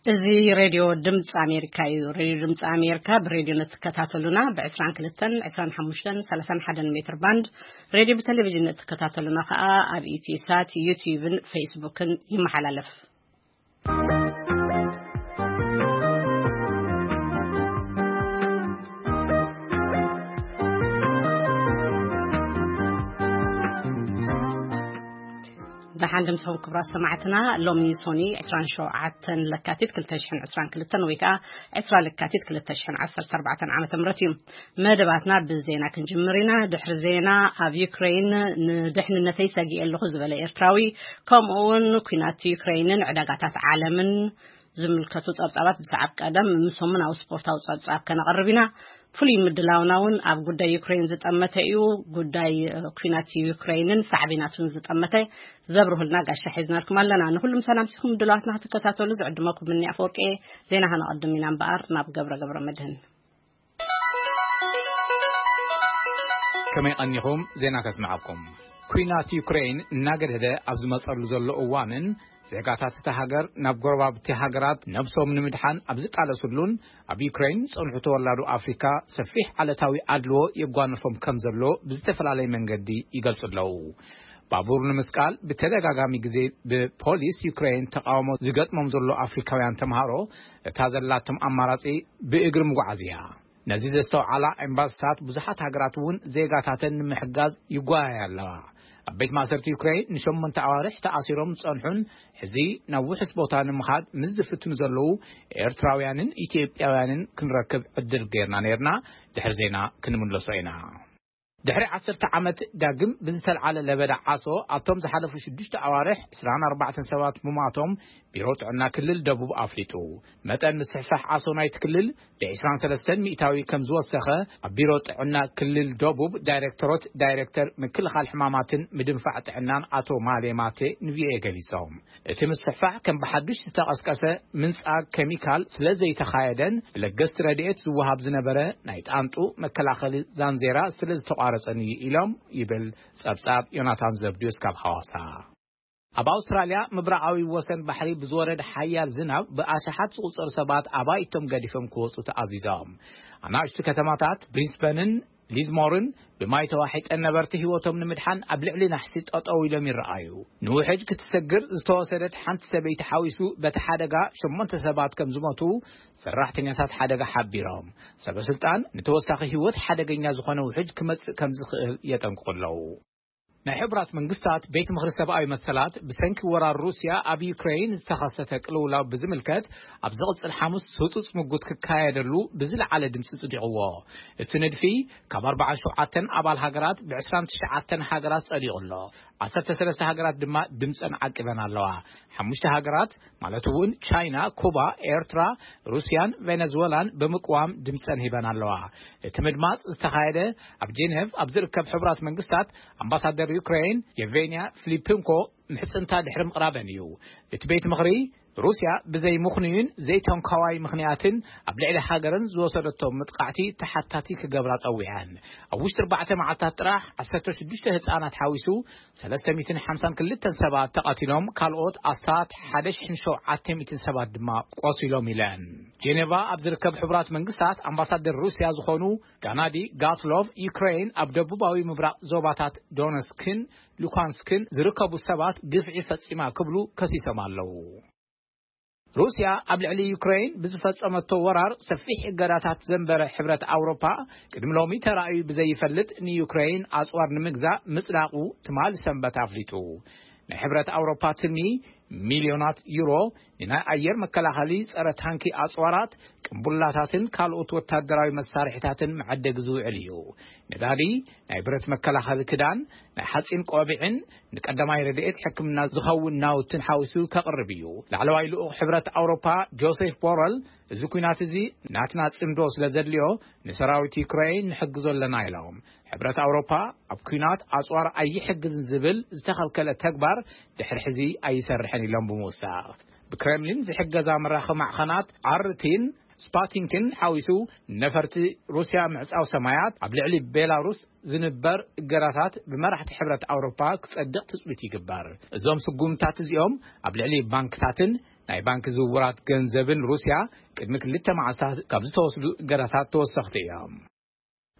እዚ ሬድዮ ድምፂ ኣሜሪካ እዩ። ሬድዮ ድምፂ ኣሜሪካ ብሬድዮ ንትከታተሉና ብ22፣ 25፣ 31 ሜትር ባንድ፣ ሬድዮ ብቴሌቪዥን ንትከታተሉና ከዓ ኣብ ኢትዮ ሳት፣ ዩቲዩብን ፌስቡክን ይመሓላለፍ። ደሓን ድምስኹም ክቡራት ሰማዕትና። ሎሚ ሶኒ 27 ለካቲት 2022 ወይ ከዓ 20 ለካቲት 2014 ዓመተ ምህረት እዩ። መደባትና ብዜና ክንጅምር ኢና። ድሕሪ ዜና፣ ኣብ ዩክሬን ንድሕንነተይ ሰጊኤ ኣለኹ ዝበለ ኤርትራዊ፣ ከምኡ እውን ኲናት ዩክሬንን ዕዳጋታት ዓለምን ዝምልከቱ ጸብጻባት ብሰዓብ ቀደም፣ ምስ ሰሙናዊ ስፖርታዊ ጸብጻብ ከነቕርብ ኢና። ፍሉይ ምድላውና እውን ኣብ ጉዳይ ዩክሬን ዝጠመተ እዩ። ጉዳይ፣ እ፣ ኲናት ዩክሬንን ሳዕቤናቱን ዝጠመተ ዘብርሁልና ጋሻ ሒዝናልኩም ኣለና። ንኹሉም ሰላምሲኹም ድልዋትና ክትከታተሉ ዝዕድመኩም ምኒ ኣፈወርቂ። ዜና ከነቐድም ኢና እምበኣር ናብ ገብረ ገብረ መድህን። ከመይ ቀኒኹም? ዜና ከስምዓኩም። ኲናት ዩክሬን እናገደደ ኣብ ዝመጸሉ ዘሎ እዋንን፣ ዜጋታት እታ ሃገር ናብ ጎረባብቲ ሃገራት ነብሶም ንምድሓን ኣብ ዝቃለሱሉን፣ ኣብ ዩክሬን ዝጸንሑ ተወላዶ ኣፍሪካ ሰፊሕ ዓለታዊ ኣድልዎ የጓንፎም ከም ዘሎ ብዝተፈላለየ መንገዲ ይገልጹ ኣለዉ። ባቡር ንምስቃል ብተደጋጋሚ ግዜ ብፖሊስ ዩክሬን ተቃውሞ ዝገጥሞም ዘሎ ኣፍሪካውያን ተምሃሮ፣ እታ ዘላቶም ኣማራጺ ብእግሪ ምጓዓዝ እያ። ነዚ ዘስተውዓላ ኤምባስታት ብዙሓት ሃገራት እውን ዜጋታተን ንምሕጋዝ ይጓያያ ኣለዋ። ኣብ ቤት ማእሰርቲ ዩክሬን ንሸሞንተ ኣዋርሕ ተኣሲሮም ዝጸንሑን ሕዚ ናብ ውሑስ ቦታ ንምኻድ ምስ ዝፍትኑ ዘለዉ ኤርትራውያንን ኢትዮጵያውያንን ክንረክብ ዕድል ገይርና ነይርና። ድሕሪ ዜና ክንምለሶ ኢና። ድሕሪ ዓሰርተ ዓመት ዳግም ብዝተልዓለ ለበዳ ዓሶ፣ ኣብቶም ዝሓለፉ ሽዱሽተ ኣዋርሕ ዕስራን ኣርባዕተን ሰባት ምሟቶም ቢሮ ጥዕና ክልል ደቡብ ኣፍሊጡ። መጠን ምስሕፋሕ ዓሶ ናይቲ ክልል ብ23% ከም ዝወሰኸ ኣብ ቢሮ ጥዕና ክልል ደቡብ ዳይሬክተሮት ዳይሬክተር ምክልኻል ሕማማትን ምድንፋዕ ጥዕናን ኣቶ ማሌ ማቴ ንቪኦኤ ገሊጾም። እቲ ምስሕፋሕ ከም ብሓዱሽ ዝተቐስቀሰ ምንጻግ ኬሚካል ስለ ዘይተኻየደን ብለገስቲ ረድኤት ዝወሃብ ዝነበረ ናይ ጣንጡ መከላኸሊ ዛንዜራ ስለ ዝተቋረጸን እዩ ኢሎም ይብል ጸብጻብ ዮናታን ዘብድዮስ ካብ ሓዋሳ። ኣብ ኣውስትራልያ ምብራቓዊ ወሰን ባሕሪ ብዝወረደ ሓያል ዝናብ ብኣሽሓት ዝቑጸሩ ሰባት ኣባይቶም ገዲፎም ክወጹ ተኣዚዞም። ኣናእሽቱ ከተማታት ብሪስበንን ሊዝሞርን ብማይ ተዋሒጠን ነበርቲ ህይወቶም ንምድሓን ኣብ ልዕሊ ናሕሲ ጠጠው ኢሎም ይረኣዩ። ንውሕጅ ክትሰግር ዝተወሰደት ሓንቲ ሰበይቲ ሓዊሱ በቲ ሓደጋ ሸሞንተ ሰባት ከም ዝሞቱ ሰራሕተኛታት ሓደጋ ሓቢሮም። ሰበ ስልጣን ንተወሳኺ ህይወት ሓደገኛ ዝኾነ ውሕጅ ክመጽእ ከም ዝኽእል የጠንቅቑ ኣለዉ። ናይ ሕቡራት መንግስታት ቤት ምኽሪ ሰብኣዊ መሰላት ብሰንኪ ወራር ሩስያ ኣብ ዩክሬን ዝተኸሰተ ቅልውላው ብዝምልከት ኣብ ዝቕጽል ሓሙስ ህጹጽ ምጉት ክካየደሉ ብዝለዓለ ድምጺ ጽዲቕዎ። እቲ ንድፊ ካብ ኣርባዓን ሸውዓተን ኣባል ሃገራት ብ29 ሃገራት ጸዲቑ ኣሎ። ዓሰርተ ሰለስተ ሃገራት ድማ ድምጸን ዓቂበን ኣለዋ። ሓሙሽተ ሃገራት ማለት እውን ቻይና፣ ኩባ፣ ኤርትራ፣ ሩስያን ቬነዝዌላን ብምቅዋም ድምጸን ሂበን ኣለዋ። እቲ ምድማጽ ዝተኻየደ ኣብ ጄኔቭ ኣብ ዝርከብ ሕቡራት መንግስታት ኣምባሳደር ዩክሬን የቬንያ ፊሊፕንኮ ምሕጽንታ ድሕሪ ምቕራበን እዩ። እቲ ቤት ምኽሪ ሩስያ ብዘይ ምኽንዩን ዘይተንኳዋይ ምኽንያትን ኣብ ልዕሊ ሃገረን ዝወሰደቶ ምጥቃዕቲ ተሓታቲ ክገብራ ጸዊዐን። ኣብ ውሽጢ ኣርባዕተ መዓልታት ጥራሕ ዓሰርተ ሽዱሽተ ህጻናት ሓዊሱ ሰለስተ ሚእትን ሓምሳን ክልተን ሰባት ተቐቲሎም፣ ካልኦት ኣስታት ሓደ ሽሕን ሸውዓተ ሚእትን ሰባት ድማ ቆሲሎም ኢለን። ጄኔቫ ኣብ ዝርከብ ሕቡራት መንግስታት ኣምባሳደር ሩስያ ዝኾኑ ጋናዲ ጋትሎቭ፣ ዩክሬን ኣብ ደቡባዊ ምብራቕ ዞባታት ዶነስክን ሉካንስክን ዝርከቡ ሰባት ግፍዒ ፈጺማ ክብሉ ከሲሶም ኣለዉ። ሩስያ ኣብ ልዕሊ ዩክሬን ብዝፈጸመቶ ወራር ሰፊሕ እገዳታት ዘንበረ ሕብረት ኣውሮፓ፣ ቅድሚ ሎሚ ተራእዩ ብዘይፈልጥ ንዩክሬን ኣጽዋር ንምግዛእ ምጽዳቑ ትማሊ ሰንበት ኣፍሊጡ። ናይ ሕብረት ኣውሮፓ ትልሚ ሚልዮናት ዩሮ ንናይ ኣየር መከላኸሊ፣ ጸረ ታንኪ ኣጽዋራት፣ ቅንቡላታትን ካልኦት ወታደራዊ መሳርሒታትን መዐደጊ ዝውዕል እዩ። ነዳዲ፣ ናይ ብረት መከላኸሊ ክዳን፣ ናይ ሓጺን ቆቢዕን ንቀዳማይ ረድኤት ሕክምና ዝኸውን ናውትን ሓዊሱ ከቕርብ እዩ። ላዕለዋይ ልኡኽ ሕብረት ኣውሮፓ ጆሴፍ ቦረል፣ እዚ ኲናት እዚ ናትና ጽምዶ ስለ ዘድልዮ ንሰራዊት ዩክሬን ንሕግዞ ኣለና ኢሎም። ሕብረት ኣውሮፓ ኣብ ኲናት ኣጽዋር ኣይሕግዝን ዝብል ዝተኸልከለ ተግባር ድሕሪ ሕዚ ኣይሰርሕን ኢሎም ብምውሳኽ፣ ብክሬምሊን ዝሕገዛ መራኸቢ ማዕኸናት ኣርቲን ስፓቲንክን ሓዊሱ ነፈርቲ ሩስያ ምዕጻው ሰማያት፣ ኣብ ልዕሊ ቤላሩስ ዝንበር እገዳታት ብመራሕቲ ሕብረት ኣውሮፓ ክጸድቕ ትጽቢት ይግበር። እዞም ስጉምታት እዚኦም ኣብ ልዕሊ ባንክታትን ናይ ባንክ ዝውውራት ገንዘብን ሩስያ ቅድሚ ክልተ መዓልታት ካብ ዝተወስዱ እገዳታት ተወሰኽቲ እዮም።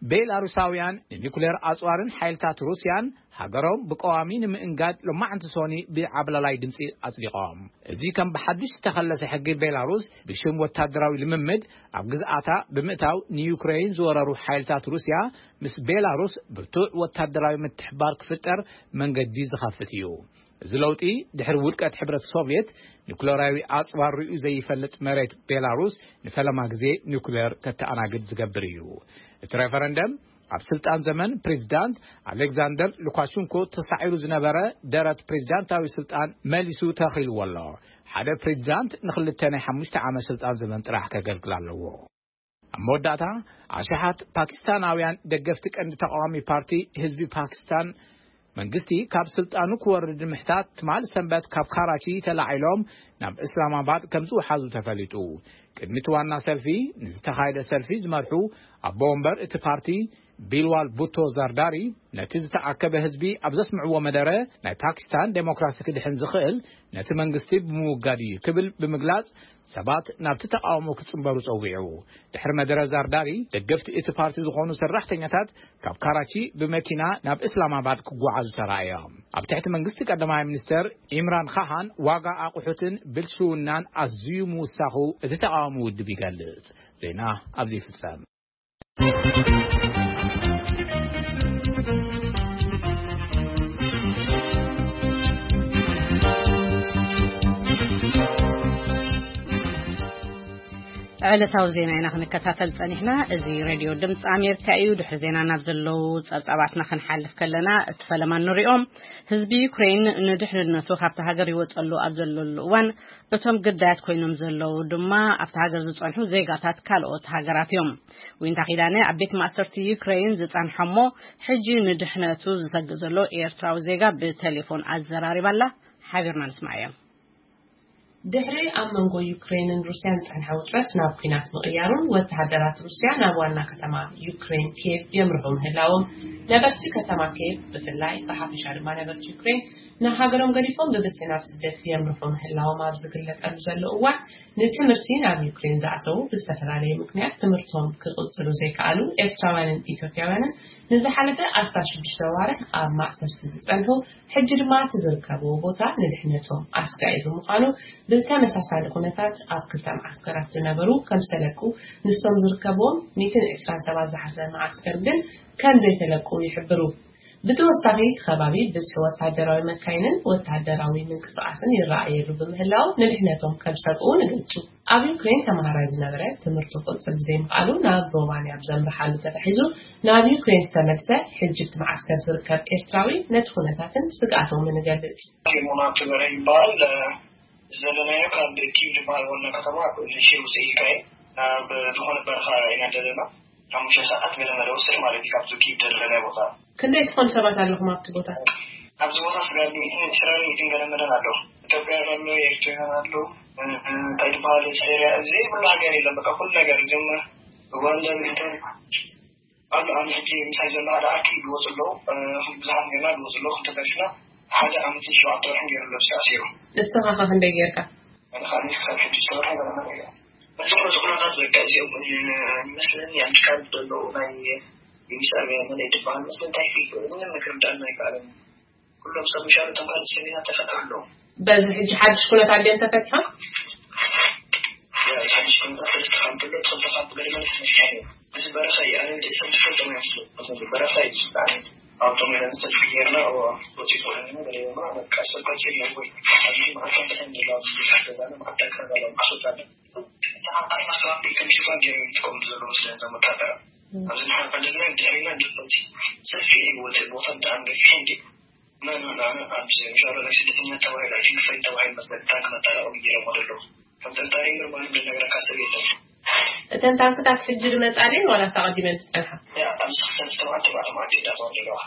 ቤላሩሳውያን ንኒኩሌር ኣጽዋርን ሓይልታት ሩስያን ሃገሮም ብቀዋሚ ንምእንጋድ ሎማዕንቲ ሶኒ ብዓብላላይ ድምፂ ኣጽዲቖም። እዚ ከም ብሓድሽ ዝተኸለሰ ሕጊ ቤላሩስ ብሽም ወታደራዊ ልምምድ ኣብ ግዝኣታ ብምእታው ንዩክሬን ዝወረሩ ሓይልታት ሩስያ ምስ ቤላሩስ ብርቱዕ ወታደራዊ ምትሕባር ክፍጠር መንገዲ ዝኸፍት እዩ። እዚ ለውጢ ድሕሪ ውድቀት ሕብረት ሶቭየት ኒኩለራዊ ኣጽዋር ርእዩ ዘይፈልጥ መሬት ቤላሩስ ንፈለማ ግዜ ኒኩለር ከተኣናግድ ዝገብር እዩ። እቲ ሬፈረንደም ኣብ ስልጣን ዘመን ፕሬዚዳንት ኣሌክዛንደር ሉካሽንኮ ተሳዒሩ ዝነበረ ደረት ፕሬዚዳንታዊ ስልጣን መሊሱ ተኺልዎ ኣሎ። ሓደ ፕሬዚዳንት ንክልተ ናይ ሓሙሽተ ዓመት ስልጣን ዘመን ጥራሕ ከገልግል ኣለዎ። ኣብ መወዳእታ ኣሽሓት ፓኪስታናውያን ደገፍቲ ቀንዲ ተቃዋሚ ፓርቲ ህዝቢ ፓኪስታን መንግስቲ ካብ ስልጣኑ ክወርድ ንምሕታት ትማል ሰንበት ካብ ካራቺ ተላዒሎም ናብ እስላማባድ ከም ዝወሓዙ ተፈሊጡ። ቅድሚ እቲ ዋና ሰልፊ ንዝተኻየደ ሰልፊ ዝመርሑ ኣቦ ወንበር እቲ ፓርቲ ቢልዋል ቡቶ ዛርዳሪ ነቲ ዝተኣከበ ህዝቢ ኣብ ዘስምዕዎ መደረ ናይ ፓኪስታን ዴሞክራሲ ክድሕን ዝኽእል ነቲ መንግስቲ ብምውጋድ እዩ ክብል ብምግላጽ ሰባት ናብቲ ተቃውሞ ክጽንበሩ ጸዊዑ። ድሕሪ መደረ ዛርዳሪ ደገፍቲ እቲ ፓርቲ ዝኾኑ ሰራሕተኛታት ካብ ካራቺ ብመኪና ናብ እስላማባድ ክጓዓዙ ተራእዮም። ኣብ ትሕቲ መንግስቲ ቀዳማይ ሚኒስተር ኢምራን ካሃን ዋጋ ኣቑሑትን ብልሽውናን ኣዝዩ ምውሳኹ እቲ ተቃዋሚ ውድብ ይገልጽ። ዜና ኣብዚ ይፍጸም። ዕለታዊ ዜና ኢና ክንከታተል ጸኒሕና። እዚ ሬድዮ ድምፂ ኣሜሪካ እዩ። ድሕሪ ዜና ናብ ዘለዉ ጸብጻባትና ክንሓልፍ ከለና፣ እቲ ፈለማ ንሪኦም። ህዝቢ ዩክሬን ንድሕንነቱ ካብቲ ሃገር ይወጸሉ ኣብ ዘለሉ እዋን፣ እቶም ግዳያት ኮይኖም ዘለዉ ድማ ኣብቲ ሃገር ዝጸንሑ ዜጋታት ካልኦት ሃገራት እዮም። ዊንታ ኪዳነ ኣብ ቤት ማእሰርቲ ዩክሬን ዝጸንሐ እሞ፣ ሕጂ ንድሕነቱ ዝሰግእ ዘሎ ኤርትራዊ ዜጋ ብቴሌፎን ኣዘራሪባላ። ሓቢርና ንስማዕ እዮም። ድሕሪ ኣብ መንጎ ዩክሬንን ሩስያን ዝጸንሐ ውጥረት ናብ ኲናት ምቕያሩን ወተሃደራት ሩስያ ናብ ዋና ከተማ ዩክሬን ኪየቭ የምርሑ ምህላዎም፣ ነበርቲ ከተማ ኪየቭ ብፍላይ፣ ብሓፈሻ ድማ ነበርቲ ዩክሬን ንሃገሮም ገዲፎም ብብዝሒ ናብ ስደት የምርሑ ምህላዎም ኣብ ዝግለጸሉ ዘሎ እዋን፣ ንትምህርቲ ናብ ዩክሬን ዝኣተዉ ብዝተፈላለየ ምኽንያት ትምህርቶም ክቕጽሉ ዘይከኣሉ ኤርትራውያንን ኢትዮጵያውያንን ንዝሓለፈ ኣስታት ሽዱሽተ ኣዋርሕ ኣብ ማእሰርቲ ዝጸንሑ፣ ሕጂ ድማ እቲ ዝርከብዎ ቦታ ንድሕነቶም ኣስጋኢ ብምዃኑ፣ ብተመሳሳሊ ኩነታት ኣብ ክልተ መዓስከራት ዝነበሩ ከም ዝተለቁ፣ ንሶም ዝርከብዎም ሚእትን ዕስራን ሰባት ዝሓዘ መዓስከር ግን ከም ዘይተለቁ ይሕብሩ። ብተወሳኺ፣ እቲ ከባቢ ብዝሒ ወታደራዊ መካይንን ወታደራዊ ምንቅስቓስን ይረኣየሉ ብምህላው፣ ንድሕነቶም ከም ዝሰግኡ ይገልጹ። ኣብ ዩክሬን ተማሃራይ ዝነበረ፣ ትምህርቱ ክቕጽል ብዘይምኽኣሉ ናብ ሮማንያ ኣብ ዘምርሓሉ ተታሒዙ ናብ ዩክሬን ዝተመልሰ፣ ሕጂ ኣብቲ መዓስከር ዝርከብ ኤርትራዊ፣ ነቲ ኩነታትን ስግኣቶምን ይገልጽ። ፊልሞና ክበረ ይበሃል። ዘለናዮ ካብ ኪቭ ዝበሃል ዋና ከተማ ንእሽተይ ውፅእ ኢልካ እዩ። ኣብ ዝኾነ በረኻ ኢና ዘለና። ሓሙሽተ ሰዓት ገለ መለ ወስድ ማለት እዩ ካብቲ ኪድ ዘለናይ ቦታ። ክንደይ ትኾኑ ሰባት ኣለኹም ኣብቲ ቦታ? ኣብዚ ቦታ ስጋብ ሚእትን ዕስራን ሚእትን ገለ መለን ኣለዉ። ኢትዮጵያውያን ኣለዉ፣ ኤርትራውያን ኣለዉ። እ፣ እ፣ እንታይ ዝበሃል፣ ሴርያ፣ ዘይብሉ ሃገር የለን። በቃ ኩሉ ነገር እዚኦም ኡጋንዳ፣ ሚእትን ኣሎ። ኣብዚ ሕጂ ምሳይ ዘሎ ሓደ ኣርኪ ይወፁ ኣለዉ። እ፣ ብዙሓት ጌርና ይወፁ ኣለዉ። ክልተ ተሪፍና ሓደ ዓመትን ሸውዓተ ወርሕን ገይሩ ኣሎ፣ ብስራሕ ሲሩ። ንስኻ ኸ ክንደይ ጌርካ? ኣነ ከዓ ክሳብ ሕጂ ዝተወርሐ ገለ ነገር የለን። በዚ ኩነታት በቃ እዚኦም፣ እ፣ ይመስለኒ ኣሜሪካ ዘለዉ ናይ ዩኒስ ኣርቢያ መለይ ዝበሃል መስለ እንታይ ፊልም ምንም ክርዳእና ኣይከኣለን። ኩሎም ሰብ ምሻሉ ተምሃሮ ሰሚና ተፈጥሮ ኣለዉ። በዚ ሕጂ ሓድሽ ኩነታት ድዮም ተፈቲሖም? ያ፣ እዚ ሓድሽ ኩነታት ሰለስተ ካብ እንተሎ፣ ትኽልተ ካብ ገለ መለ ተፈቲሖም እዮም። እዚ በረኻ እዩ። ኣነ ንርእሰይ ትፈልጦም ኣይመስለኒ። እዚ በረኻ እዩ ዝብል ኣነ። ኣብቶም ኢለን ሰልፊ ጌርና፣ እዎ፣ ወፂኡ ኮነ ገለ ይብሉና፣ በቃ ሰብ ቀፂሉ እዩ ወይ። ኣብዚ መዓልቲ እንታይ እንድላ፣ ኣብዚ ገዛና መዓልቲ ኣካባቢ ኣስወጣ። ተዓጣሪ ማስተባበሪ ከም ሽፋን ገይሮም ይጥቀምሉ ዘለዉ ስለ እዞም ወታደራት። ኣብዚ ንሕና ቀንደልና ድሕሪና ድሕሪቲ ሰፊሕ እዩ፣ ወቲ ቦታ ብጣዕሚ ገፊሕ እንዲ። ና፣ ና፣ ና፣ ና፣ ኣብዚ ምሻሎ ናይ ስደተኛ ተባሂሉ፣ ኣይ ቲንክ ፍሬንድ ተባሂሉ መስለኒ፣ ታንክ መጣበቂ ገይሮም ኣለዉ። ከም ጥርጣሬ ምርማር ዝነግረካ ሰብ የለን። እተን ታንክታት ሕጂ ዝመጻ ድየን ዋላስ ኣቐዲመን ዝጸንሓ? ያ፣ ኣብዚ ክልተ ኣርባዕተ መዓልቲ እንዳተዋህደ ኣለዋ።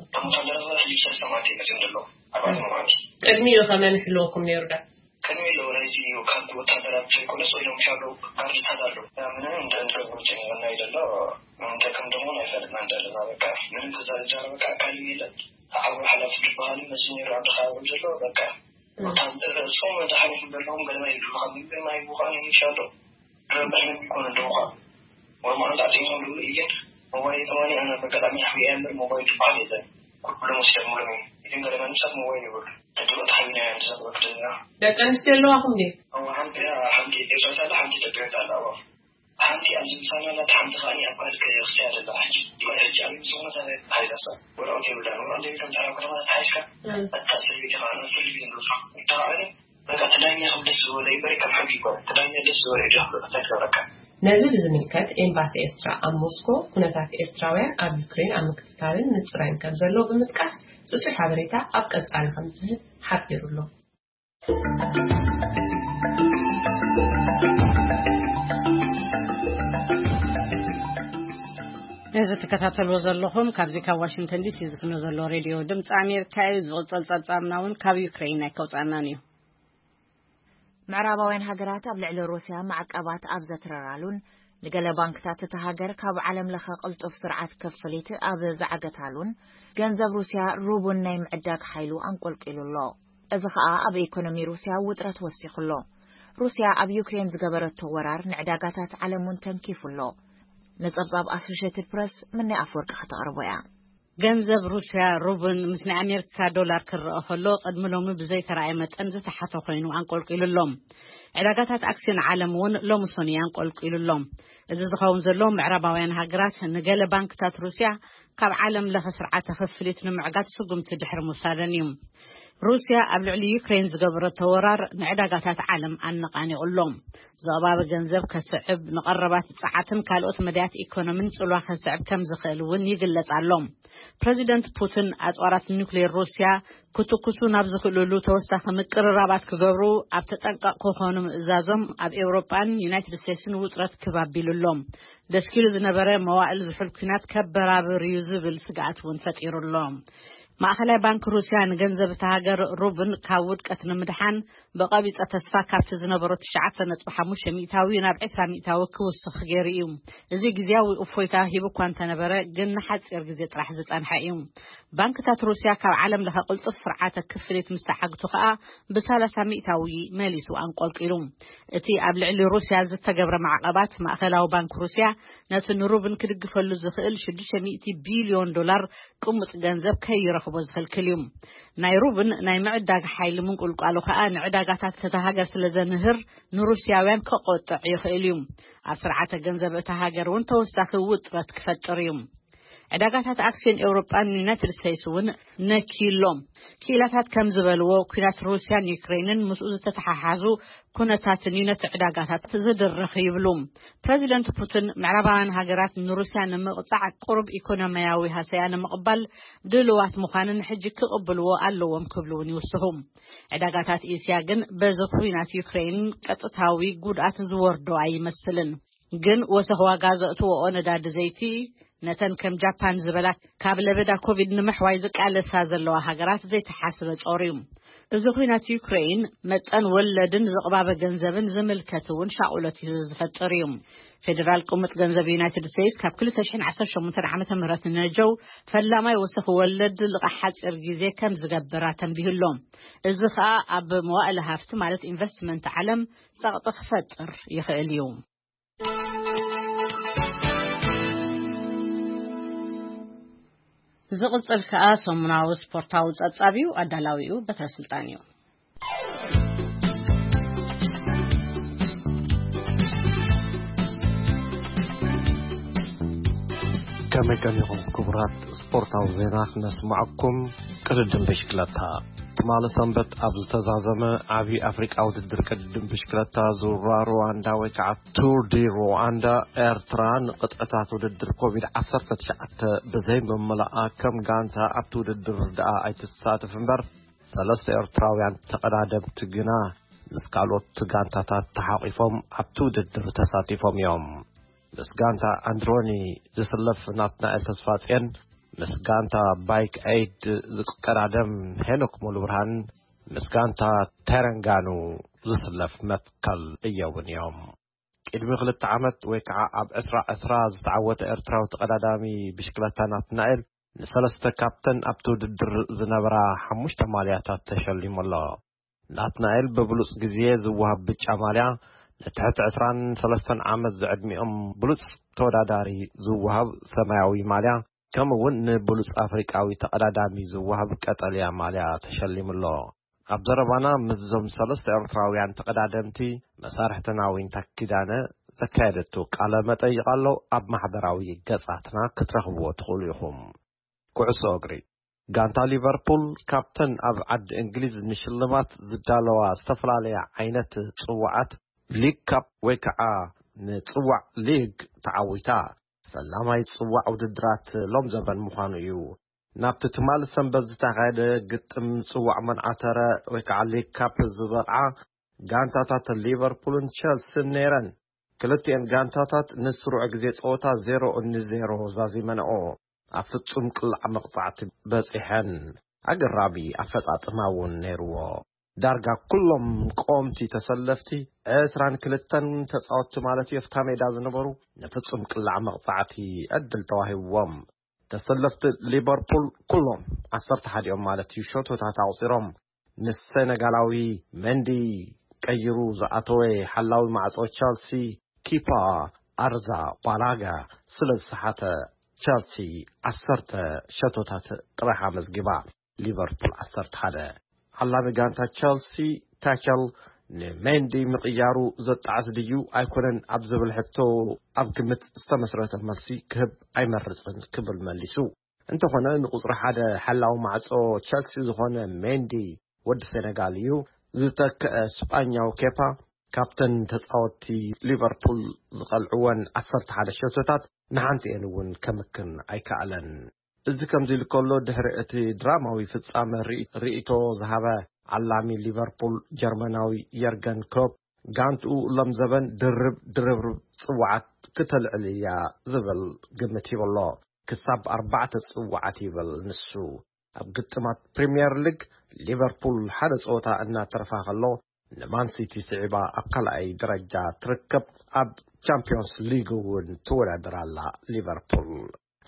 እቶም ወታደራት ሕጂ ሰለስተ መዓልቲ መጺኦም ዘለዉ። ኣርባዕተ መዓልቲ። ቅድሚኡ ከ መን ይሕልወኩም ነይሩ ዶ? ቅድሚ ኣለዉ ናይዚ ካብ ወታደራት ዘይኮነስ ወይ ሎም ሻሎ ጋርድታት ኣለዉ። ምንም እንደ-፣ እንደ-፣ እንደ-፣ የለን። እንጠቅም ደሞ ኣይፈልጥና እንደለና በቃ። ምንም ክዛረብ በቃ ኣካል የለን። ዓብሩ ሓላፊ ዝበሃል መጺኡ ነይሩ ኣብ ድኻ ዘሎ በቃ። ወታደር ጾም መድሓኒት ዘለዎም ገለማ ይብሉ። ካብ ምግቢ ማይ ብኳን ይሻሎ። ረብሕ ምግቢ ይኮነ እንደውኳ። ወርማን ዳዕጺ ይሞሉ። ኢገን ሞባይል ተማኒ ኣነ በቀጣሚ ሓብያ እምበር ሞባይል ትበሃል የለን። ኩሎም ወስደሞሎም እዮም። ኢትን ገለማ ንሳት ሞባይል ይብሉ። ሕድሮ ተሓቢና እዮም ዝዛረቡ ዘለና። ደቂ ኣንስትዮ ኣለዋኹም ድዩ? እዋ ሓንቲ ሓንቲ ኤርትራዊት ኣላ፣ ሓንቲ ኢትዮጵያዊት ኣላ። እዋ ሓንቲ ኣብዚ ምሳና ኣላ፣ ሓንቲ ከኣ ኣብ ካልእ ክስተያ ዘላ። ሕጂ ሕጂ ኣብ ዝኾነ ተሓይዛሳ ወረቐት የብላን። ወረቐት ዘይብልካ ኣብ ከተማ ተሓይዝካ፣ እም። ኣታ ሰበይቲ ከኣ ናብ ፍርዲ ቤት ንብሎ። እንተኸኣለ በቃ እቲ ዳኛ ከም ደስ ዝበሎ ይበሪ፣ ከም ሕጊ ይኮነ። እቲ ዳኛ ደስ ዝበሎ እዩ ዝሕሎ፣ እንታይ ክገብረካ? ነዚ ብዝምልከት ኤምባሲ ኤርትራ ኣብ ሞስኮ ኩነታት ኤርትራውያን ኣብ ዩክሬን ኣብ ምክትታልን ምጽራይን ከም ዘሎ ብምጥቃስ ጽጹይ ሓበሬታ ኣብ ቀጻሊ ከም ዝህብ ሓቢሩ ኣሎ። ነዚ ትከታተልዎ ዘለኹም ካብዚ ካብ ዋሽንግተን ዲሲ ዝፍኖ ዘሎ ሬድዮ ድምፂ ኣሜሪካ እዩ። ዝቕፅል ፀብፃብና እውን ካብ ዩክሬን ኣይከውፃእናን እዩ። ምዕራባውያን ሃገራት ኣብ ልዕሊ ሩስያ ማዕቀባት ኣብ ዘትረራሉን ንገለ ባንክታት እታ ሃገር ካብ ዓለም ለኸ ቅልጡፍ ስርዓት ክፍሊት ኣብ ዝዓገታሉን፣ ገንዘብ ሩስያ ሩቡን ናይ ምዕዳግ ሓይሉ ኣንቆልቂሉ ኣሎ። እዚ ኸኣ ኣብ ኢኮኖሚ ሩስያ ውጥረት ወሲኹ ኣሎ። ሩስያ ኣብ ዩክሬን ዝገበረቶ ወራር ንዕዳጋታት ዓለም እውን ተንኪፉ ኣሎ። ንጸብጻብ ኣሶሼትድ ፕረስ ምኒ ኣፍወርቂ ከተቕርቦ እያ። ገንዘብ ሩስያ ሩብን ምስ ናይ ኣሜሪካ ዶላር ክረአ ከሎ፣ ቅድሚ ሎሚ ብዘይተራእየ መጠን ዝተሓተ ኮይኑ ኣንቆልቂሉ ኣሎ። ዕዳጋታት ኣክስዮን ዓለም እውን ሎሚ ሰኑይ ኣንቆልቂሉ ኣሎ። እዚ ዝኸውን ዘሎ፣ ምዕራባውያን ሃገራት ንገለ ባንክታት ሩስያ ካብ ዓለም ለኸ ስርዓተ ክፍሊት ንምዕጋት ስጉምቲ ድሕሪ ምውሳደን እዩ። ሩስያ ኣብ ልዕሊ ዩክሬን ዝገበረቶ ወራር ንዕዳጋታት ዓለም ኣነቓኒቑ ኣሎ። ዝቕባበ ገንዘብ ከስዕብ፣ ንቐረባት ጸዓትን ካልኦት መዳያት ኢኮኖሚን ጽልዋ ከስዕብ ከም ዝኽእል እውን ይግለጽ ኣሎ። ፕረዚደንት ፑቲን ኣጽዋራት ኒውክሌር ሩስያ ክትኩሱ ናብ ዝኽእልሉ ተወሳኺ ምቅርራባት ክገብሩ ኣብ ተጠንቀቕ ክኾኑ ምእዛዞም ኣብ ኤውሮጳን ዩናይትድ ስቴትስን ውጥረት ክብ ኣቢሉ ኣሎ። ደስኪሉ ዝነበረ መዋእል ዝሑል ኲናት ከበራብር እዩ ዝብል ስግኣት እውን ፈጢሩ ኣሎ። ማእኸላይ ባንክ ሩስያ ንገንዘብ እታ ሃገር ሩብን ካብ ውድቀት ንምድሓን ብቐቢጸ ተስፋ ካብቲ ዝነበሮ ትሽዓተ ነጥቢ ሓሙሽተ ሚእታዊ ናብ ዕስራ ሚእታዊ ክውስኽ ገይሩ እዩ። እዚ ግዝያዊ እፎይታ ሂቡ እኳ እንተነበረ፣ ግን ንሓጺር ግዜ ጥራሕ ዝጸንሐ እዩ። ባንክታት ሩስያ ካብ ዓለም ለኸ ቅልጡፍ ስርዓተ ክፍሊት ምስ ተዓግቱ ከኣ ብሰላሳ ሚእታዊ መሊሱ ኣንቆልቂሉ። እቲ ኣብ ልዕሊ ሩስያ ዝተገብረ ማዕቐባት፣ ማእኸላዊ ባንክ ሩስያ ነቲ ንሩብን ክድግፈሉ ዝኽእል ሽዱሽተ ሚእቲ ቢልዮን ዶላር ቅሙጥ ገንዘብ ከይረኽቦ ዝኽልክል እዩ። ናይ ሩብን ናይ ምዕዳግ ሓይሊ ምንቁልቋሉ ከኣ ንዕዳጋታት እታ ሃገር ስለ ዘንህር፣ ንሩስያውያን ከቆጥዕ ይኽእል እዩ። ኣብ ስርዓተ ገንዘብ እታ ሃገር እውን ተወሳኺ ውጥረት ክፈጥር እዩ። ዕዳጋታት ኣክስዮን ኤውሮጳን ዩናይትድ ስቴትስ እውን ነክዩ ኣሎ። ክኢላታት ከም ዝበልዎ፣ ኲናት ሩስያን ዩክሬንን ምስኡ ዝተተሓሓዙ ኩነታትን እዩ ነቲ ዕዳጋታት ዝድርኽ ይብሉ። ፕረዚደንት ፑቲን፣ ምዕራባውያን ሃገራት ንሩስያ ንምቕጻዕ ቁሩብ ኢኮኖሚያዊ ሃሰያ ንምቕባል ድልዋት ምዃንን ሕጂ ክቕብልዎ ኣለዎም ክብሉ እውን ይውስኹ። ዕዳጋታት እስያ ግን በዚ ኲናት ዩክሬን ቀጥታዊ ጉድኣት ዝወርዶ ኣይመስልን። ግን ወሰኽ ዋጋ ዘእትወኦ ነዳዲ ዘይቲ ነተን ከም ጃፓን ዝበላ ካብ ለበዳ ኮቪድ ንምሕዋይ ዝቃለሳ ዘለዋ ሃገራት ዘይተሓስበ ጾር እዩ። እዚ ኲናት ዩክሬን መጠን ወለድን ዝቕባበ ገንዘብን ዝምልከት እውን ሻቑሎት እዩ ዝፈጥር እዩ። ፌደራል ቅሙጥ ገንዘብ ዩናይትድ ስቴትስ ካብ ክልተ ሽሕን ዓሰርተ ሸሞንተን ዓመተ ምህረት ንነጀው ፈላማይ ወሰኽ ወለድ ልቓሕ ሓጺር ግዜ ከም ዝገብር ኣተንቢሁ ኣሎ። እዚ ኸኣ ኣብ መዋእለ ሃፍቲ ማለት ኢንቨስትመንት ዓለም ጸቕጢ ክፈጥር ይኽእል እዩ። ዝቕጽል ከኣ ሰሙናዊ ስፖርታዊ ጸብጻብ እዩ። ኣዳላዊኡ በትረ ስልጣን እዩ። ከመይ ቀኒኹም ክቡራት? ስፖርታዊ ዜና ክነስምዐኩም። ቅድድም ብሽክለታ። ትማሊ ሰንበት ኣብ ዝተዛዘመ ዓቢ ኣፍሪቃ ውድድር ቅድድም ብሽክለታ ዙራ ሩዋንዳ ወይ ከዓ ቱር ዲ ሩዋንዳ፣ ኤርትራ ንቕጥዕታት ውድድር ኮቪድ ዓሰርተ ትሽዓተ ብዘይ ምምላኣ ከም ጋንታ ኣብቲ ውድድር ደኣ ኣይትሳተፍ እምበር፣ ሰለስተ ኤርትራውያን ተቐዳደምቲ ግና ምስ ካልኦት ጋንታታት ተሓቒፎም ኣብቲ ውድድር ተሳቲፎም እዮም። ምስ ጋንታ ኣንድሮኒ ዝስለፍ ናትናኤል ተስፋጽዮን፣ ምስ ጋንታ ባይክ ኤይድ ዝቀዳደም ሄኖክ ሙሉብርሃን፣ ምስ ጋንታ ተረንጋኑ ዝስለፍ መትከል እየውን እዮም። ቅድሚ ክልተ ዓመት ወይ ከዓ ኣብ ዕስራ ዕስራ ዝተዓወተ ኤርትራዊ ተቐዳዳሚ ብሽክለታ ናትናኤል፣ ንሰለስተ ካብተን ኣብቲ ውድድር ዝነበራ ሓሙሽተ ማልያታት ተሸሊሙ ኣሎ። ናትናኤል ብብሉጽ ግዜ ዝወሃብ ብጫ ማልያ፣ ንትሕቲ ዕስራን ሰለስተን ዓመት ዝዕድሚኦም ብሉጽ ተወዳዳሪ ዝወሃብ ሰማያዊ ማልያ፣ ከምኡ እውን ንብሉጽ ኣፍሪቃዊ ተቐዳዳሚ ዝወሃብ ቀጠልያ ማልያ ተሸሊሙ ኣሎ። ኣብ ዘረባና ምስዞም ሰለስተ ኤርትራውያን ተቐዳደምቲ መሳርሕትና ዊንታ ኪዳነ ዘካየደቶ ቃለ መጠይቕ ኣሎ። ኣብ ማሕበራዊ ገጻትና ክትረኽብዎ ትኽእሉ ኢኹም። ኩዕሶ እግሪ። ጋንታ ሊቨርፑል ካብተን ኣብ ዓዲ እንግሊዝ ንሽልማት ዝዳለዋ ዝተፈላለያ ዓይነት ጽዋዓት ሊግ ካፕ ወይ ከዓ ንጽዋዕ ሊግ ተዓዊታ። ፈላማይ ጽዋዕ ውድድራት ሎም ዘበን ምዃኑ እዩ። ናብቲ ትማሊ ሰንበት ዝተኻየደ ግጥም ጽዋዕ መንዓተረ ወይ ከዓ ሊግ ካፕ ዝበቕዓ ጋንታታት ሊቨርፑልን ቸልሲን ነይረን። ክልቲኤን ጋንታታት ንስሩዕ ግዜ ጸወታ ዜሮ ን ዜሮ ዛዚመንኦ። ኣብ ፍጹም ቅላዕ መቕጻዕቲ በጺሐን። ኣገራሚ ኣፈጻጽማ እውን ነይርዎ። ዳርጋ ኩሎም ቀወምቲ ተሰለፍቲ ዕስራን ክልተን ተጻወትቲ ማለት እዩ፣ ኣብታ ሜዳ ዝነበሩ ንፍጹም ቅላዕ መቕጻዕቲ ዕድል ተዋሂብዎም። ተሰለፍቲ ሊቨርፑል ኩሎም ዓሰርተ ሓደ እዮም ማለት እዩ፣ ሸቶታት ኣቑጺሮም። ንሰነጋላዊ መንዲ ቀይሩ ዝኣተወ ሓላዊ ማዕጾ ቸልሲ ኪፓ ኣርዛ ባላጋ ስለ ዝሰሓተ፣ ቸልሲ ዓሰርተ ሸቶታት ጥራሕ ኣመዝጊባ፣ ሊቨርፑል ዓሰርተ ሓደ። ሓላዊ ጋንታ ቸልሲ ታቸል ንሜንዲ ምቕያሩ ዘጣዕስ ድዩ ኣይኮነን ኣብ ዝብል ሕቶ ኣብ ግምት ዝተመስረተ መልሲ ክህብ ኣይመርጽን ክብል መሊሱ። እንተኾነ ንቁጽሪ ሓደ ሓላዊ ማዕጾ ቸልሲ ዝኾነ ሜንዲ ወዲ ሴነጋል እዩ። ዝተክአ ስጳኛዊ ኬፓ ካብተን ተጻወትቲ ሊቨርፑል ዝቐልዕወን ዓሰርተ ሓደ ሸቶታት ንሓንቲ እየን እውን ከምክን ኣይከኣለን። እዚ ከምዚ ኢሉ ከሎ ድሕሪ እቲ ድራማዊ ፍጻመ ርኢ- ርእይቶ ዝሃበ ዓላሚ ሊቨርፑል ጀርመናዊ የርገን ኮፕ ጋንትኡ ሎም ዘበን ድርብ ድርብርብ ጽዋዓት ክተልዕል እያ ዝብል ግምት ሂቡ ኣሎ። ክሳብ ኣርባዕተ ጽዋዓት ይብል ንሱ። ኣብ ግጥማት ፕሪምየር ሊግ ሊቨርፑል ሓደ ጸወታ እናተረፋ ከሎ ንማን ሲቲ ስዒባ ኣብ ካልኣይ ደረጃ ትርከብ። ኣብ ቻምፒዮንስ ሊግ እውን ትወዳደር ኣላ ሊቨርፑል።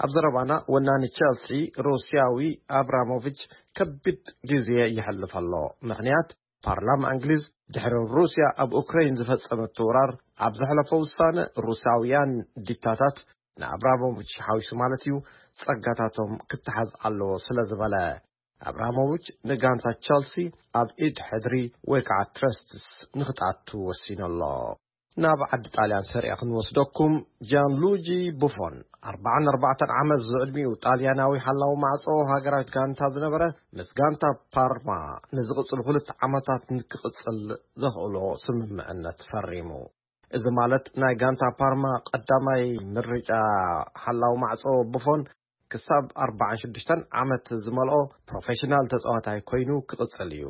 ኣብ ዘረባና ወናኒ ቸልሲ ሩስያዊ ኣብራሞቪች ከቢድ ግዜ ይሕልፍ ኣሎ። ምኽንያት ፓርላማ እንግሊዝ ድሕሪ ሩስያ ኣብ ኡክራይን ዝፈጸመቶ ወራር ኣብ ዘሕለፎ ውሳነ ሩስያውያን ዲታታት ንኣብራሞቪች ሓዊሱ ማለት እዩ ጸጋታቶም ክተሓዝ ኣለዎ ስለ ዝበለ። ኣብራሞቪች ንጋንታ ቸልሲ ኣብ ኢድ ሕድሪ ወይ ከዓ ትረስትስ ንኽትኣቱ ወሲኑ ኣሎ። ናብ ዓዲ ጣልያን ሰሪያ ክንወስደኩም። ጃንሉጂ ቡፎን ኣርባዓን ኣርባዕተን ዓመት ዝዕድሚኡ ጣልያናዊ ሓላዊ ማዕጾ ሃገራዊት ጋንታ ዝነበረ ምስ ጋንታ ፓርማ ንዝቕጽሉ ክልተ ዓመታት ንክቕጽል ዘኽእሎ ስምምዕነት ፈሪሙ። እዚ ማለት ናይ ጋንታ ፓርማ ቀዳማይ ምርጫ ሓላዊ ማዕጾ ቡፎን ክሳብ ኣርባዓን ሽዱሽተን ዓመት ዝመልኦ ፕሮፌሽናል ተጻዋታይ ኮይኑ ክቕጽል እዩ።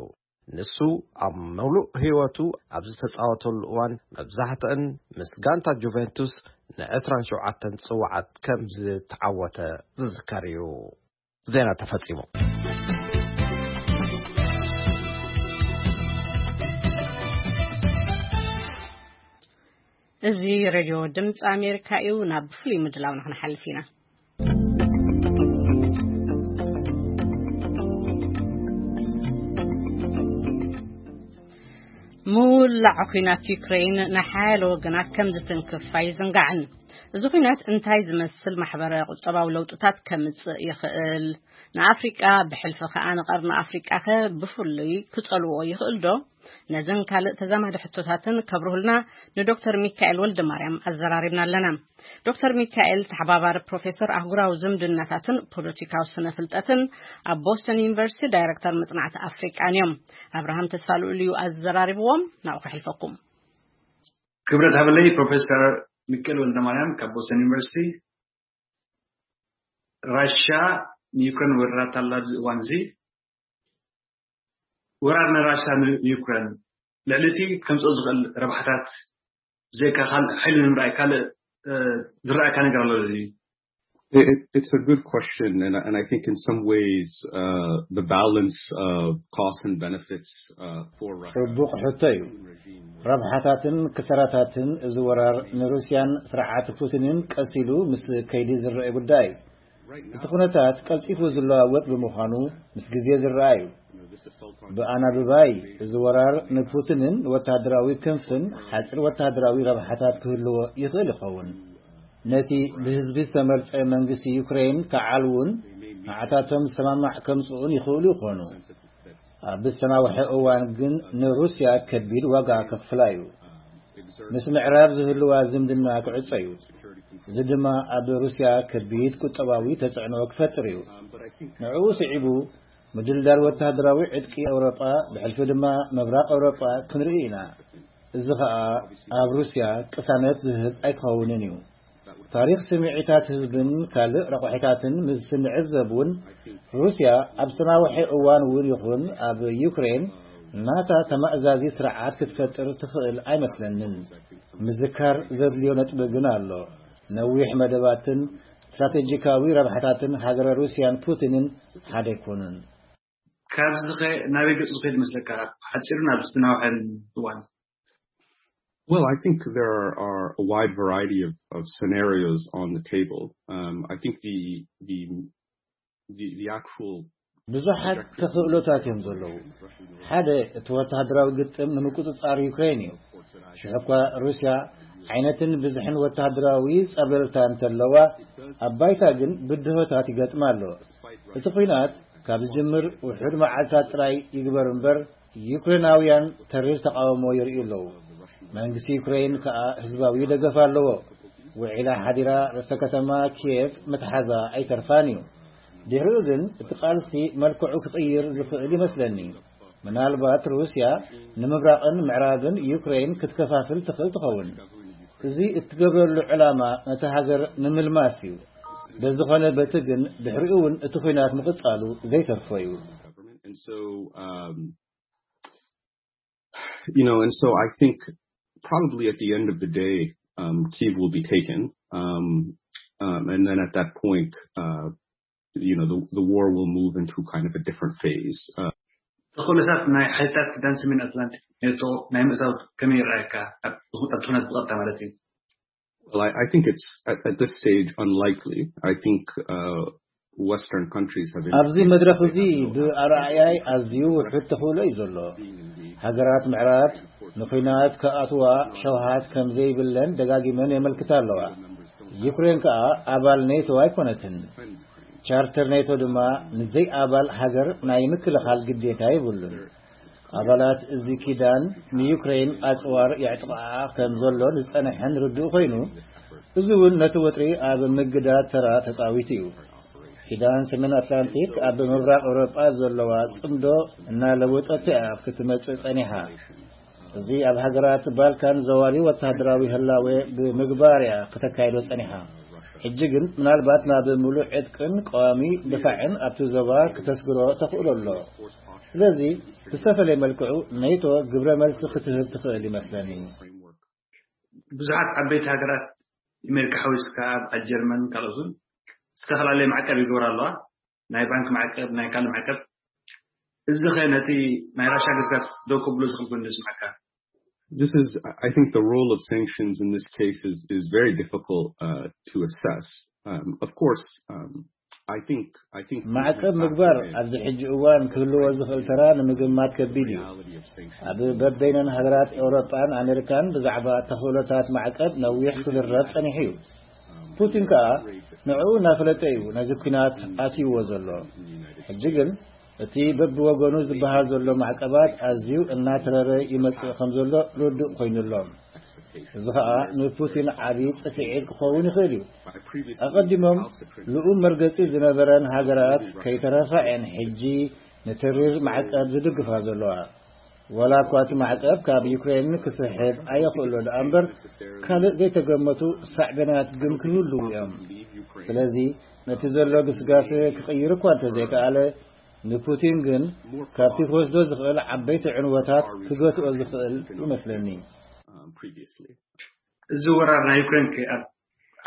ንሱ ኣብ ምሉእ ህይወቱ ኣብ ዝተጻወተሉ እዋን መብዛሕትአን ምስ ጋንታ ጁቬንቱስ ንዕስራን ሸውዓተን ጽዋዓት ከም ዝተዓወተ ዝዝከር እዩ። ዜና ተፈጺሙ። እዚ ሬድዮ ድምፂ ኣሜሪካ እዩ። ናብ ፍሉይ ምድላው ንክንሓልፍ ኢና። ምውላዕ ኲናት ዩክሬን ንሓያለ ወገናት ከም ዝትንክፍ ኣይዝንጋዕን። እዚ ኲናት እንታይ ዝመስል ማሕበረ ቁጠባዊ ለውጥታት ከምጽእ ይኽእል? ንኣፍሪቃ ብሕልፊ ከኣ ንቐርኒ ኣፍሪቃኸ ብፍሉይ ክጸልዎ ይኽእል ዶ? ነዝን ካልእ ተዛማዲ ሕቶታትን ከብርሁልና ንዶክተር ሚካኤል ወልደ ማርያም ኣዘራሪብና ኣለና። ዶክተር ሚካኤል ተሓባባሪ ፕሮፌሰር ኣህጉራዊ ዝምድናታትን ፖለቲካዊ ስነ ፍልጠትን ኣብ ቦስተን ዩኒቨርሲቲ ዳይረክተር መጽናዕቲ ኣፍሪቃን እዮም። ኣብርሃም ተስፋ ልኡል እዩ ኣዘራሪብዎም። ናብኡ ከሕልፈኩም። ክብረት ሃበለይ ፕሮፌሰር ሚካኤል ወልደ ማርያም ካብ ቦስተን ዩኒቨርሲቲ። ራሻ ንዩክሬን ወሪራታ ኣላ ኣብዚ እዋን እዚ። ወራር ናይ ራሻ ንዩክሬን ልዕሊ እቲ ከምፅኦ ዝኽእል ረብሓታት ብዘይካ ካልእ ሓይሊ ንምርኣይ ካልእ ዝረኣየካ ነገር ኣሎ ድዩ? It, it's a good question, and, and I think in some ways uh, the balance of costs and benefits uh, for Russia. ጽቡቕ ሕቶ እዩ። ረብሓታትን ክሰራታትን እዚ ወራር ንሩስያን ስርዓት ፑቲንን ቀስ ኢሉ ምስ ከይዲ ዝረአ ጉዳይ እዩ። እቲ ኩነታት ቀልጢፉ ዝለዋወጥ ብምዃኑ ምስ ግዜ ዝረኣ እዩ። ብኣናብባይ፣ እዚ ወራር ንፑቲንን ወተሃደራዊ ክንፍን ሓጺር ወተሃደራዊ ረብሓታት ክህልዎ ይኽእል ይኸውን። ነቲ ብህዝቢ ዝተመርጸ መንግስቲ ዩክሬን ክዓልውን ንዓታቶም ዝሰማማዕ ከምጽኡን ይኽእሉ ይኾኑ። ኣብ ዝተናውሐ እዋን ግን ንሩስያ ከቢድ ዋጋ ከኽፍላ እዩ። ምስ ምዕራብ ዝህልዋ ዝምድና ክዕጾ እዩ። እዚ ድማ ኣብ ሩስያ ከቢድ ቁጠባዊ ተጽዕኖ ክፈጥር እዩ። ንዕኡ ስዒቡ፣ ምድልዳል ወተሃደራዊ ዕጥቂ ኤውሮጳ፣ ብሕልፊ ድማ ምብራቕ ኤውሮጳ ክንርኢ ኢና። እዚ ኸኣ ኣብ ሩስያ ቅሳነት ዝህብ ኣይክኸውንን እዩ። ታሪኽ ስምዒታት ህዝብን ካልእ ረቑሒታትን ምስ ንዕዘብ እውን፣ ሩስያ ኣብ ዝተናውሐ እዋን እውን ይኹን ኣብ ዩክሬን ናታ ተማእዛዚ ስርዓት ክትፈጥር ትኽእል ኣይመስለንን። ምዝካር ዘድልዮ ነጥቢ ግን ኣሎ። ነዊሕ መደባትን ስትራቴጂካዊ ረብሓታትን ሃገረ ሩስያን ፑቲንን ሓደ ኣይኮኑን። ካብዚ ኸ ናበይ ገጹ ዝኸይድ መስለካ? ሓጺሩ ናብ ዝተናውሐን እዋን። Well, I think there are a wide variety of, of scenarios on the table. Um, I think the, the, the, the actual ብዙሓት ተኽእሎታት እዮም ዘለዉ። ሓደ፣ እቲ ወተሃደራዊ ግጥም ንምቁጽጻር ዩክሬን እዩ። ሽሕ እኳ ሩስያ ዓይነትን ብዝሕን ወተሃደራዊ ጸብለልታ እንተለዋ፣ ኣብ ባይታ ግን ብድሆታት ይገጥማ ኣሎ። እቲ ኲናት ካብ ዝጅምር ውሑድ መዓልታት ጥራይ ይግበር እምበር፣ ዩክሬናውያን ተሪር ተቓውሞ የርእዩ ኣለዉ። መንግስቲ ዩክሬን ከኣ ህዝባዊ ደገፍ ኣለዎ። ውዒላ ሓዲራ ርእሰ ከተማ ኪየቭ ምትሓዛ ኣይተርፋን እዩ። ድሕሪኡ ግን እቲ ቃልሲ መልክዑ ክቕይር ዝኽእል ይመስለኒ። ምናልባት ሩስያ ንምብራቕን ምዕራብን ዩክሬን ክትከፋፍል ትኽእል ትኸውን። እዚ እትገብረሉ ዕላማ ነቲ ሃገር ንምልማስ እዩ። በዝኾነ በቲ ግን ድሕሪኡ እውን እቲ ኲናት ምቕጻሉ ዘይተርፎ እዩ። And so, um, you know, and so I think probably at the end of the day, um, Kyiv will be taken. Um, um, and then at that point, uh, you know, the, the war will move into kind of a different phase. Uh, ተኽእሎታት ናይ ሓይልታት ኪዳን ሰሜን ኣትላንቲክ ኔቶ ናይ ምእታው ከመይ ይረኣየካ? ኣብ ኣብ ኩነት ብቐጥታ ማለት እዩ። Well, I, I think it's at, at this stage unlikely. I think uh, Western countries have ኣብዚ መድረኽ እዚ ብኣረኣእያይ ኣዝዩ ውሑድ ተኽእሎ እዩ ዘሎ። ሃገራት ምዕራብ ንኹናት ክኣትዋ ሸውሃት ከም ዘይብለን ደጋጊመን የመልክታ ኣለዋ። ዩክሬን ከኣ ኣባል ኔቶ ኣይኮነትን። ቻርተር ኔቶ ድማ ንዘይ ኣባል ሃገር ናይ ምክልኻል ግዴታ የብሉን። ኣባላት እዚ ኪዳን ንዩክሬን ኣጽዋር የዕጥቕኣ ከም ዘሎ ዝጸንሐን ርዱእ ኮይኑ፣ እዚ እውን ነቲ ወጥሪ ኣብ ምግዳድ ተራ ተጻዊቱ እዩ። ኪዳን ሰሜን ኣትላንቲክ ኣብ ምብራቕ ኤውሮጳ ዘለዋ ጽምዶ እናለወጠቶ እያ ክትመጽእ ጸኒሓ። እዚ ኣብ ሃገራት ባልካን ዘዋሪ ወተሃደራዊ ህላወ ብምግባር እያ ከተካይዶ ጸኒሓ። ሕጂ ግን ምናልባት ናብ ምሉእ ዕጥቅን ቀዋሚ ድፋዕን ኣብቲ ዞባ ክተስግሮ ተኽእሎ ኣሎ። ስለዚ ብዝተፈለየ መልክዑ ኔቶ ግብረ መልሲ ክትህብ ትኽእል ይመስለኒ። ብዙሓት ዓበይቲ ሃገራት ኣሜሪካ ሓዊስካ ኣብ ጀርመን ካልኦትን ዝተፈላለየ ማዕቀብ ይገብራ ኣለዋ። ናይ ባንክ ማዕቀብ፣ ናይ ካልእ ማዕቀብ። እዚ ኸ ነቲ ናይ ራሻ ገስጋስ ደው ከብሎ ዝኽእል ኮይኑ ዝስምዓካ? This is, I think, the role of sanctions in this case is, is very difficult uh, to assess. Um, of course, um, I think, I think ማዕቀብ ምግባር ኣብዚ ሕጂ እዋን ክህልዎ ዝኽእል ተራ ንምግማት ከቢድ እዩ። ኣብ በበይነን ሃገራት ኤውሮጳን ኣሜሪካን ብዛዕባ ተኽእሎታት ማዕቀብ ነዊሕ ክዝረብ ጸኒሑ እዩ። ፑቲን ከኣ ንዕኡ እናፈለጠ እዩ ነዚ ኲናት ኣትይዎ ዘሎ። ሕጂ ግን እቲ በብወገኑ ዝበሃል ዘሎ ማዕቀባት ኣዝዩ እናተረረ ይመጽእ ከም ዘሎ ርዱእ ኮይኑ ኣሎ። እዚ ኸኣ ንፑቲን ዓቢ ጽፍዒት ክኸውን ይኽእል እዩ። ኣቐዲሞም ልኡም መርገጺ ዝነበረን ሃገራት ከይተረፋ እየን ሕጂ ንትሪር ማዕቀብ ዝድግፋ ዘለዋ። ወላ እኳ እቲ ማዕቀብ ካብ ዩክሬን ክስሕብ ኣየኽእሎ ደኣ እምበር፣ ካልእ ዘይተገመቱ ሳዕቤናት ግን ክህልዉ እዮም። ስለዚ ነቲ ዘሎ ግስጋሴ ክቕይር እኳ እንተዘይከኣለ፣ ንፑቲን ግን ካብቲ ክወስዶ ዝኽእል ዓበይቲ ዕንወታት ክገትኦ ዝኽእል ይመስለኒ። um, previously. እዚ ወራር ናይ ዩክሬን ከ ኣብ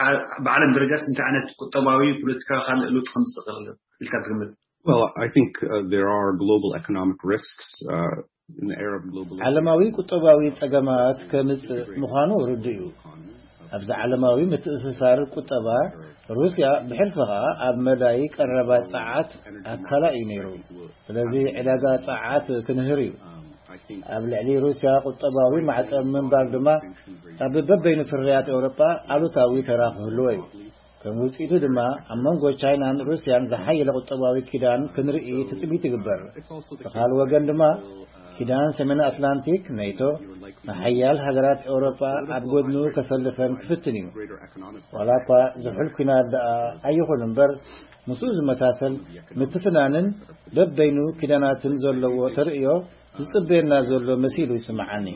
ዓ- ብዓለም ደረጃስ እንታይ ዓይነት ቁጠባዊ፣ ፖለቲካዊ ካልእ ለውጢ ከምፅእ ይኽእል ኢልካ ትግምት? Well, I think uh, there are global economic risks uh, in the era of globalization. ዓለማዊ ቁጠባዊ ጸገማት ከምጽእ ምዃኑ ርዱእ እዩ። ኣብዚ ዓለማዊ ምትእስሳር ቁጠባ፣ ሩስያ ብሕልፊ ኸኣ ኣብ መዳይ ቀረባ ጸዓት ኣካላ እዩ ነይሩ። ስለዚ ዕዳጋ ጸዓት ክንህር እዩ። ኣብ ልዕሊ ሩስያ ቁጠባዊ ማዕቀብ ምንባር ድማ ኣብ በበይኑ ፍርያት ኤውሮጳ ኣሉታዊ ተራ ክህልዎ እዩ። ከም ውጽኢቱ ድማ ኣብ መንጎ ቻይናን ሩስያን ዝሓየለ ቁጠባዊ ኪዳን ክንርኢ ትጽቢት ይግበር። ብኻል ወገን ድማ ኪዳን ሰሜን ኣትላንቲክ ኔቶ ንሓያል ሃገራት ኤውሮጳ ኣብ ጎድኑ ከሰልፈን ክፍትን እዩ። ዋላ እኳ ዝሑል ኲናት ደኣ ኣይኹን እምበር ምስኡ ዝመሳሰል ምትፍናንን በበይኑ ኪዳናትን ዘለዎ ተርእዮ ዝጽበየና ዘሎ መሲሉ ይስምዓኒ።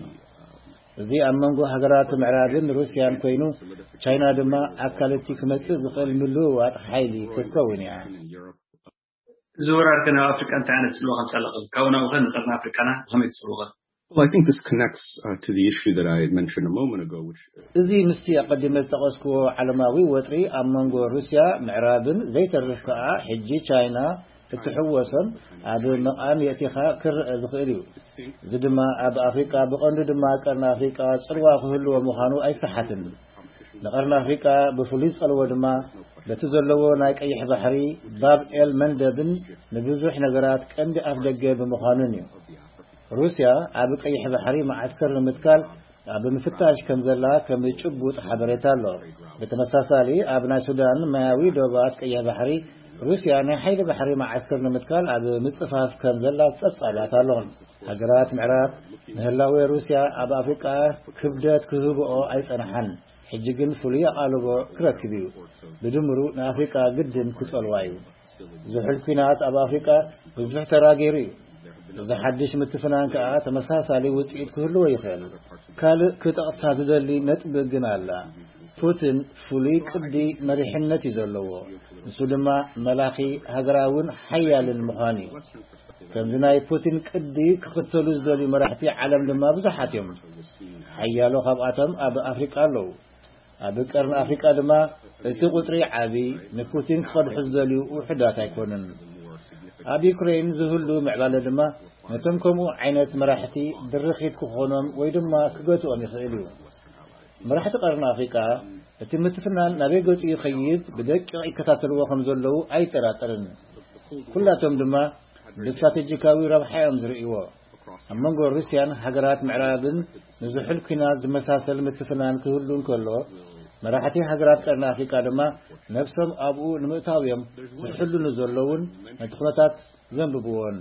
እዚ ኣብ መንጎ ሃገራት ምዕራብን ሩስያን ኮይኑ ቻይና ድማ ኣካል እቲ ክመጽእ ዝኽእል ምልውዋጥ ሓይሊ ክትከውን እያ። እዚ ወራር ከ ናብ ኣፍሪቃ እንታይ ዓይነት ጽልዋ ከምጻለኸ ካብኡ ናብኡ ከ ንቀርኒ ኣፍሪቃና ብኸመይ ትጽልወኸ? Well, I think this connects uh, to the issue that I mentioned a moment ago, which እዚ ምስቲ ኣቐዲመ ዝጠቐስክዎ ዓለማዊ ወጥሪ ኣብ መንጎ ሩስያ ምዕራብን ዘይተርፍ ከኣ ሕጂ ቻይና እትሕወሶን ኣብ መቓን የእቲኻ ክረአ ዝኽእል እዩ። እዚ ድማ ኣብ ኣፍሪቃ ብቐንዱ ድማ ቀርኒ ኣፍሪቃ ጽልዋ ክህልዎ ምዃኑ ኣይሰሓትን። ንቐርኒ ኣፍሪቃ ብፍሉይ ዝጸልዎ ድማ በቲ ዘለዎ ናይ ቀይሕ ባሕሪ ባብ ኤል መንደብን ንብዙሕ ነገራት ቀንዲ ኣፍደገ ብምዃኑን እዩ። ሩስያ ኣብ ቀይሕ ባሕሪ መዓስከር ንምትካል ኣብ ምፍታሽ ከም ዘላ ከም ጭቡጥ ሓበሬታ ኣሎ። ብተመሳሳሊ ኣብ ናይ ሱዳን ማያዊ ዶባት ቀይሕ ባሕሪ ሩስያ ናይ ሓይሊ ባሕሪ መዓስከር ንምትካል ኣብ ምጽፋፍ ከም ዘላ ጸብጻባት ኣሎ። ሃገራት ምዕራብ ንህላወ ሩስያ ኣብ ኣፍሪቃ ክብደት ክህብኦ ኣይጸንሓን። ሕጂ ግን ፍሉይ ኣቓልቦ ክረክብ እዩ። ብድምሩ ንኣፍሪቃ ግድን ክጸልዋ እዩ። ዝሑል ኲናት ኣብ ኣፍሪቃ ብዙሕ ተራ ገይሩ እዩ። እዚ ሓድሽ ምትፍናን ከኣ ተመሳሳሊ ውጽኢት ክህልዎ ይኽእል። ካልእ ክጠቕሳ ዝደሊ ነጥቢ ግን ኣላ። ፑቲን ፍሉይ ቅዲ መሪሕነት እዩ ዘለዎ። ንሱ ድማ መላኺ ሃገራውን ሓያልን ምዃን እዩ። ከምዚ ናይ ፑቲን ቅዲ ክኽተሉ ዝደልዩ መራሕቲ ዓለም ድማ ብዙሓት እዮም። ሓያሎ ካብኣቶም ኣብ ኣፍሪቃ ኣለዉ። ኣብ ቀርኒ ኣፍሪቃ ድማ እቲ ቁጽሪ ዓቢ፣ ንፑቲን ክቐድሑ ዝደልዩ ውሑዳት ኣይኮኑን። ኣብ ዩክሬን ዝህሉ ምዕባለ ድማ ነቶም ከምኡ ዓይነት መራሕቲ ድርኺት ክኾኖም ወይ ድማ ክገትኦም ይኽእል እዩ። መራሕቲ ቀርኒ ኣፍሪቃ እቲ ምትፍናን ናበይ ገጹ ይኸይድ ብደቂቕ ይከታተልዎ ከም ዘለዉ ኣይጠራጠርን። ኩላቶም ድማ ብስትራቴጂካዊ ረብሓ እዮም ዝርእይዎ። ኣብ መንጎ ሩስያን ሃገራት ምዕራብን ንዝሑል ኲናት ዝመሳሰል ምትፍናን ክህሉ እንከሎ፣ መራሕቲ ሃገራት ቀርኒ ኣፍሪቃ ድማ ነብሶም ኣብኡ ንምእታው እዮም ዝሕልኑ ዘለውን ነቲ ኩነታት ዘንብብዎን።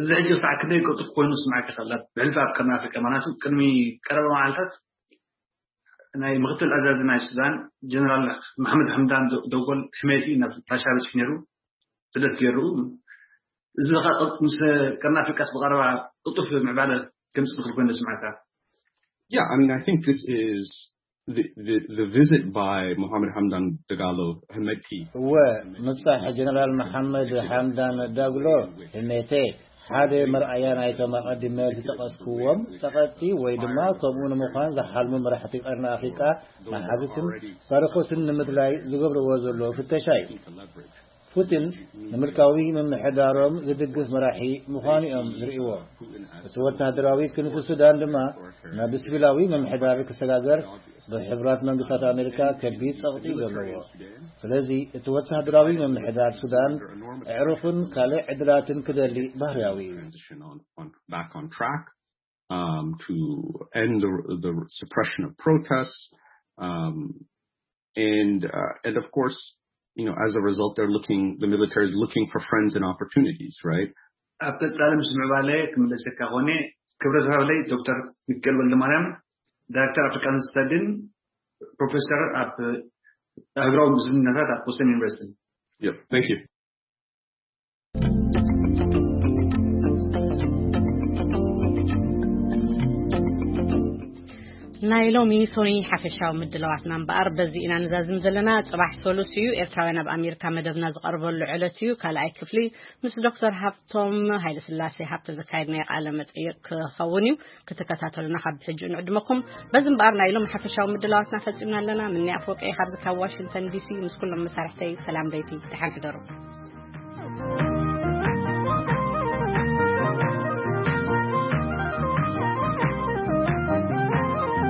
እዚ ሕጂ ክሳዕ ክንደይ ቅልጡፍ ኮይኑ ዝስምዓካ ይኽእል? ብሕልፊ ኣብ ቀርኒ ኣፍሪቃ፣ ምኽንያቱ ቅድሚ ቀረባ መዓልታት ናይ ምክትል ኣዛዚ ናይ ሱዳን ጀነራል መሓመድ ሓምዳን ዶ- ደጎል ሕሜቲ ናብ ራሻ በፂሑ ነይሩ፣ ስደት ገይሩ። እዚ ኸ ቅል- ምስ ቀርኒ ኣፍሪቃስ ብቐረባ ቅልጡፍ ምዕባለ ከምፅእ ዝኽእል ኮይኑ ዝስምዓካ? Yeah, I mean, I think this is the, the, the visit by Mohammed Hamdan Dagalo Hemeti. እወ፣ ምብጻሕ ጀነራል መሓመድ ሓምዳን ዳግሎ ህሜቴ ሓደ መርኣያ ናይቶም ኣቐዲመ ዝጠቐስክዎም ጸቐጥቲ ወይ ድማ ከምኡ ንምዃን ዝሓልሙ መራሕቲ ቀርኒ ኣፍሪቃ መሓዙትን ታሪኾትን ንምድላይ ዝገብርዎ ዘሎ ፍተሻ እዩ። ፑቲን ንምልካዊ ምምሕዳሮም ዝድግፍ መራሒ ምዃኑ እዮም ዝርእይዎ። እቲ ወተሃደራዊ ክንፊ ሱዳን ድማ ናብ ስቪላዊ ምምሕዳር ክሰጋገር ብሕቡራት መንግስታት ኣሜሪካ ከቢድ ጸቕጢ እዩ ዘለዎ። ስለዚ እቲ ወተሃደራዊ ምምሕዳር ሱዳን ኣዕሩኽን ካልእ ዕድላትን ክደሊ ባህርያዊ እዩ። Transition on, on back on track um, to end the, the suppression of protests, um, and uh, and of course, you know, as a result, they're looking the military is looking for friends and opportunities, right? ኣብ ቀጻሊ ምስ ምዕባለ ክምለሰካ ኾነ። ክብረት ሃብለይ ዶክተር ሚካኤል ወልደማርያም፣ ዳይሬክተር ኣፍሪካን ስተዲን፣ ፕሮፌሰር ኣብ ኣህጉራዊ ዝምድናታት ኣብ ቦስተን ዩኒቨርሲቲ። Yep. Thank you. ናይ ሎሚ ሶኒ ሓፈሻዊ ምድላዋትና እምበኣር በዚ ኢና ንዛዝም ዘለና። ጽባሕ ሰሉስ እዩ፣ ኤርትራውያን ኣብ ኣሜሪካ መደብና ዝቐርበሉ ዕለት እዩ። ካልኣይ ክፍሊ ምስ ዶክተር ሃብቶም ሃይለስላሴ ሃብተ ዘካየድናዮ ቃለ መጠይቕ ክኸውን እዩ። ክትከታተሉና ካብ ሕጂ ንዕድመኩም። በዚ እምበኣር ናይ ሎም ሓፈሻዊ ምድላዋትና ፈጺምና ኣለና። ምኒ ኣፈወርቂ እየ ካብዚ ካብ ዋሽንግተን ዲሲ ምስ ኩሎም መሳርሕተይ ሰላም ለይቲ፣ ደሓን ሕደሩ።